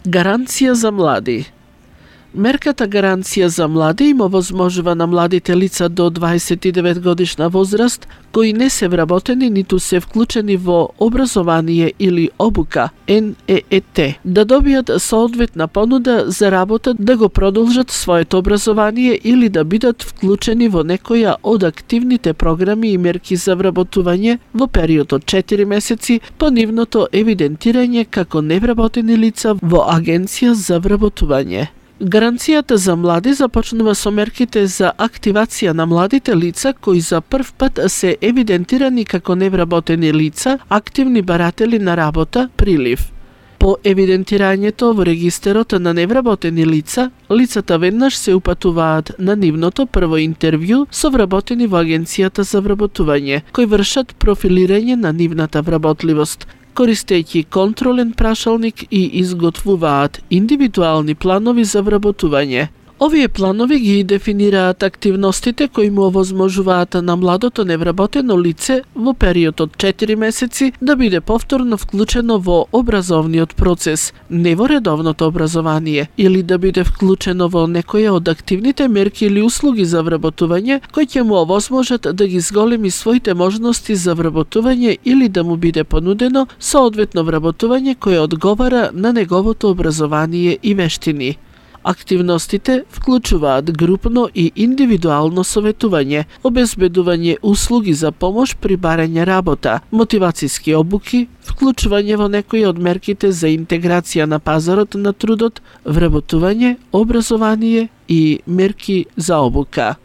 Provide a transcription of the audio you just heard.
Гаранција за млади. Мерката гаранција за млади им овозможува на младите лица до 29 годишна возраст кои не се вработени ниту се вклучени во образование или обука НЕЕТ да добијат соодветна понуда за работа, да го продолжат своето образование или да бидат вклучени во некоја од активните програми и мерки за вработување во период од 4 месеци по нивното евидентирање како невработени лица во Агенција за вработување. Гаранцијата за млади започнува со мерките за активација на младите лица кои за прв пат се евидентирани како невработени лица, активни баратели на работа, прилив. По евидентирањето во регистерот на невработени лица, лицата веднаш се упатуваат на нивното прво интервју со вработени во Агенцијата за вработување, кои вршат профилирање на нивната вработливост, користејќи контролен прашалник и изготвуваат индивидуални планови за вработување. Овие планови ги дефинираат активностите кои му овозможуваат на младото невработено лице во период од 4 месеци да биде повторно вклучено во образовниот процес, не во редовното образование, или да биде вклучено во некоја од активните мерки или услуги за вработување кои ќе му овозможат да ги зголеми своите можности за вработување или да му биде понудено соодветно вработување кое одговара на неговото образование и вештини. Активностите вклучуваат групно и индивидуално советување, обезбедување услуги за помош при барање работа, мотивацијски обуки, вклучување во некои од мерките за интеграција на пазарот на трудот, вработување, образование и мерки за обука.